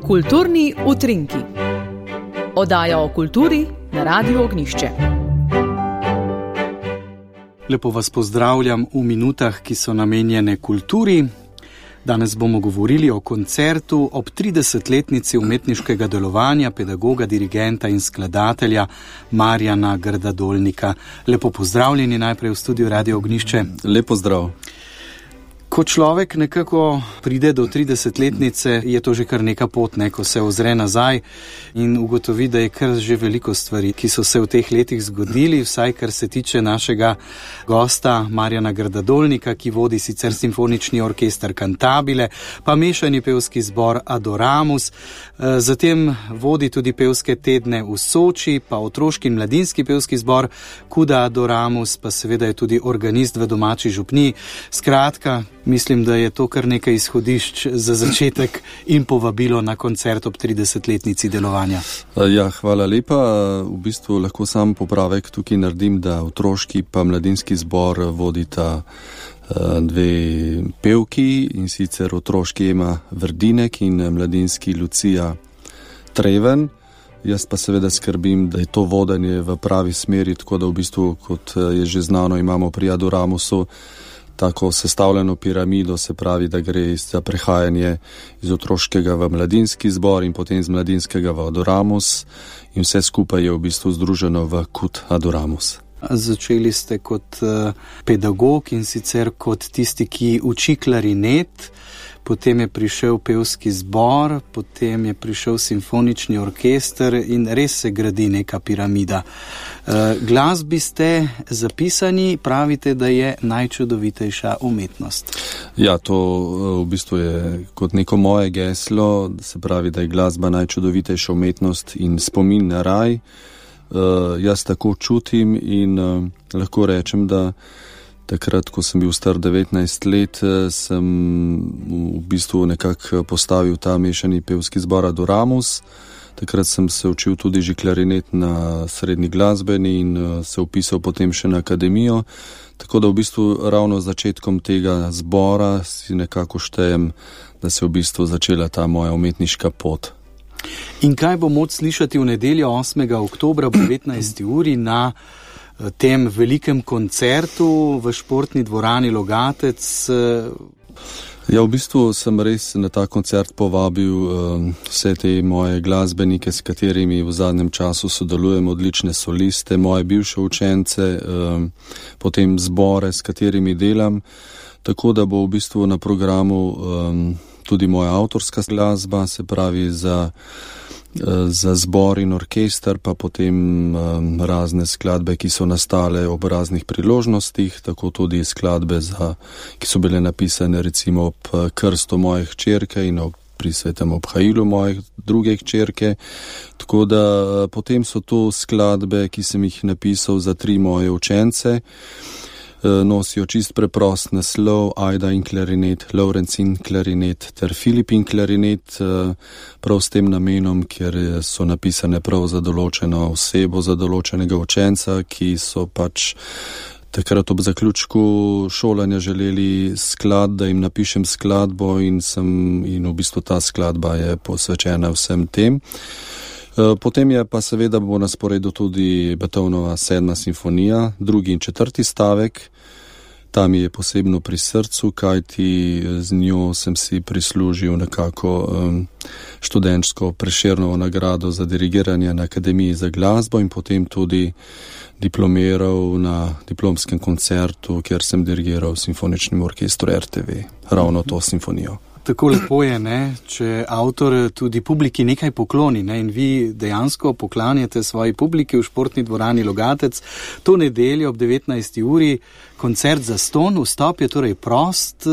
Kulturni utrinki. Oddaja o kulturi na Radiu Ognjišče. Lepo vas pozdravljam v minutah, ki so namenjene kulturi. Danes bomo govorili o koncertu ob 30-letnici umetniškega delovanja pedagoga, dirigenta in skladatelja Marjana Grdadolnika. Lepo pozdravljeni najprej v studiu Radio Ognjišče. Lep pozdrav. Ko človek nekako pride do 30-letnice, je to že kar neka pot, ko se ozre nazaj in ugotovi, da je kar že veliko stvari, ki so se v teh letih zgodili, vsaj kar se tiče našega gosta Marjana Grdadolnika, ki vodi sicer simfonični orkester Cantabile, pa mešani pevski zbor Adoramus, zatem vodi tudi pevske tedne v Soči, pa otroški in mladinski pevski zbor Kuda Adoramus, pa seveda je tudi organist v domači župniji. Skratka, mislim, da je to kar nekaj izhodišč za začetek in povabilo na koncert ob 30-letnici delovanja. Ja, hvala lepa. V bistvu lahko sam popravek tukaj naredim, da otroški pa mladinski zbor vodita dve pevki, in sicer otroški Ema Vrdinek in mladinski Lucija Treven. Jaz pa seveda skrbim, da je to vodenje v pravi smeri, tako da v bistvu, kot je že znano, imamo pri Adoramusu tako sestavljeno piramido, se pravi, da gre za prehajanje iz otroškega v mladinski zbor in potem iz mladinskega v Adoramus, in vse skupaj je v bistvu združeno v Kud Adoramus. Začeli ste kot pedagog in sicer kot tisti, ki uči klarinet, potem je prišel pevski zbor, potem je prišel simfonični orkester in res se gradi neka piramida. Glasbi ste zapisani, pravite, da je najčudovitejša umetnost. Ja, to v bistvu je kot neko moje geslo, se pravi, da je glasba najčudovitejša umetnost in spomin na raj. Jaz tako čutim in lahko rečem, da takrat, ko sem bil star 19 let, sem v bistvu nekako postavil ta mešani pevski zbor Adoramus. Takrat sem se učil tudi že klarinet na srednji glasbeni in se upisal potem še na akademijo. Tako da v bistvu ravno z začetkom tega zbora si nekako štejem, da se je v bistvu začela ta moja umetniška pot. In kaj bo moč slišati v nedeljo 8. oktobra ob 19. uri na tem velikem koncertu v športni dvorani Logatec? Ja, v bistvu sem res na ta koncert povabil vse te moje glasbenike, s katerimi v zadnjem času sodelujem, odlične soliste, moje bivše učence, potem zbore, s katerimi delam, tako da bo v bistvu na programu tudi moja avtorska glasba, se pravi za zbor in orkester, pa potem razne skladbe, ki so nastale ob raznih priložnostih, tako tudi skladbe, ki so bile napisane recimo ob krstu moje hčerke in pri svetem obhajilu moje druge hčerke. Tako da potem so to skladbe, ki sem jih napisal za 3 moje učence. Nosijo čist preprost naslov, Ajda in klarinet, Lorenz in klarinet ter Filip in klarinet, prav s tem namenom, ker so napisane prav za določeno osebo, za določenega učenca, ki so pač takrat ob zaključku šolanja želeli da jim napišem skladbo in v bistvu ta skladba je posvečena vsem tem. Potem je pa seveda bo na sporedu tudi Beethovenova 7. simfonija, 2. in 4. stavek. Ta mi je posebno pri srcu, kajti z njo sem si prislužil nekako študentsko Prešernovo nagrado za dirigiranje na Akademiji za glasbo in potem tudi diplomiral na diplomskem koncertu, kjer sem dirigiral simfoničnemu orkestru RTV, ravno to simfonijo. Tako lepo je, če avtor tudi publiki nekaj pokloni, in vi dejansko poklanjate svoji publiki v športni dvorani Logatec to nedeljo ob 19. uri, koncert zastonj, vstop je torej prost.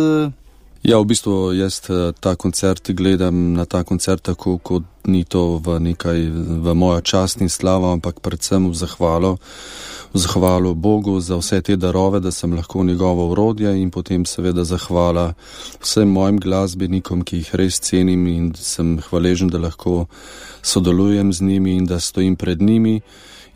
Ja, v bistvu jaz ta koncert gledam na ta koncert tako, kot ni to v mojo čast in slavo, ampak predvsem v zahvalo Bogu za vse te darove, da sem lahko njegovo orodje, in potem seveda zahvala vsem mojim glasbenikom, ki jih res cenim in sem hvaležen, da lahko sodelujem z njimi in da stojim pred njimi.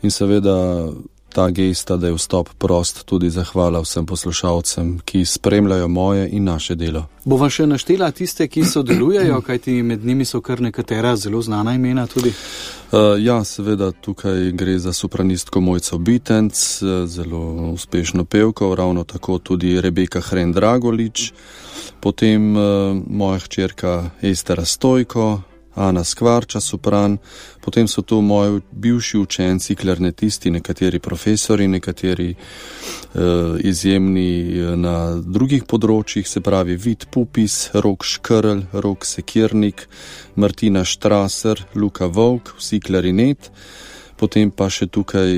In seveda ta gesta, da je vstop prost, tudi zahvala vsem poslušalcem, ki spremljajo moje in naše delo. Bova še naštela tiste, ki sodelujejo, kajti med njimi so kar nekatera zelo znana imena tudi? Ja, seveda tukaj gre za sopranistko Mojco Bitenc, zelo uspešno pevko, ravno tako tudi Rebeka Hren-Dragolič, potem moja hčerka Estera Stojko, Ana Skvarča, sopran, potem so tu moji bivši učenci, klarnetisti, nekateri profesori, nekateri izjemni na drugih področjih, se pravi Vid Pupis, Rok Škrl, Rok Sekirnik, Martina Štraser, Luka Volk, vsi klarinet, potem pa še tukaj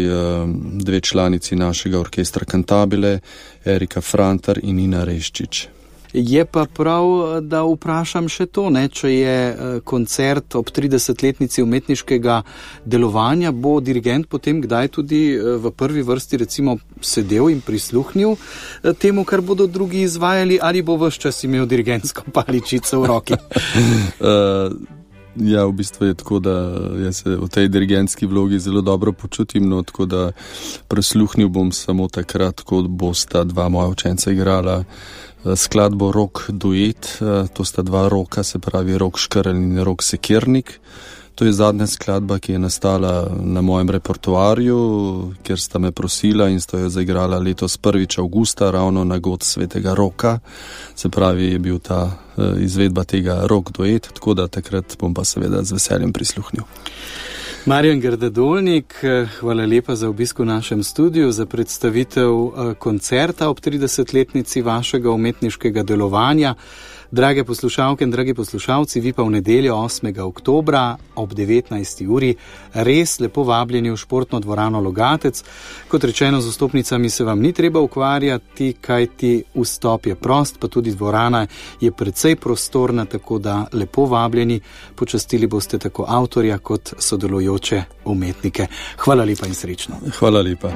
dve članici našega orkestra Cantabile, Erika Frantar in Nina Reščič. Je pa prav, da vprašam še to, če je koncert ob 30-letnici umetniškega delovanja, bo dirigent potem kdaj tudi v prvi vrsti recimo sedel in prisluhnil temu, kar bodo drugi izvajali, ali bo ves čas imel dirigentsko paličico v roki? Ja, v bistvu je tako, da jaz se v tej dirigentski vlogi zelo dobro počutim, tako da prisluhnil bom samo takrat, ko bosta dva moja učenca igrala skladbo Rok duet, to sta dva roka, se pravi Rok Škrl in Rok Sekirnik. To je zadnja skladba, ki je nastala na mojem repertoarju, ker sta me prosila in sta jo zaigrala letos 1. avgusta, ravno na god svetega Roka. Se pravi, je bil ta izvedba tega Rok duet, tako da takrat bom pa seveda z veseljem prisluhnil. Marjan Grdadolnik, hvala lepa za obisk v našem studiu, za predstavitev koncerta ob 30-letnici vašega umetniškega delovanja. Drage poslušalke in dragi poslušalci, vi pa v nedeljo 8. oktobra ob 19. uri res lepo vabljeni v športno dvorano Logatec. Kot rečeno, z vstopnicami se vam ni treba ukvarjati, kajti vstop je prost, pa tudi dvorana je precej prostorna, tako da lepo vabljeni, počastili boste tako avtorja kot sodelujoče umetnike. Hvala lepa in srečno. Hvala lepa.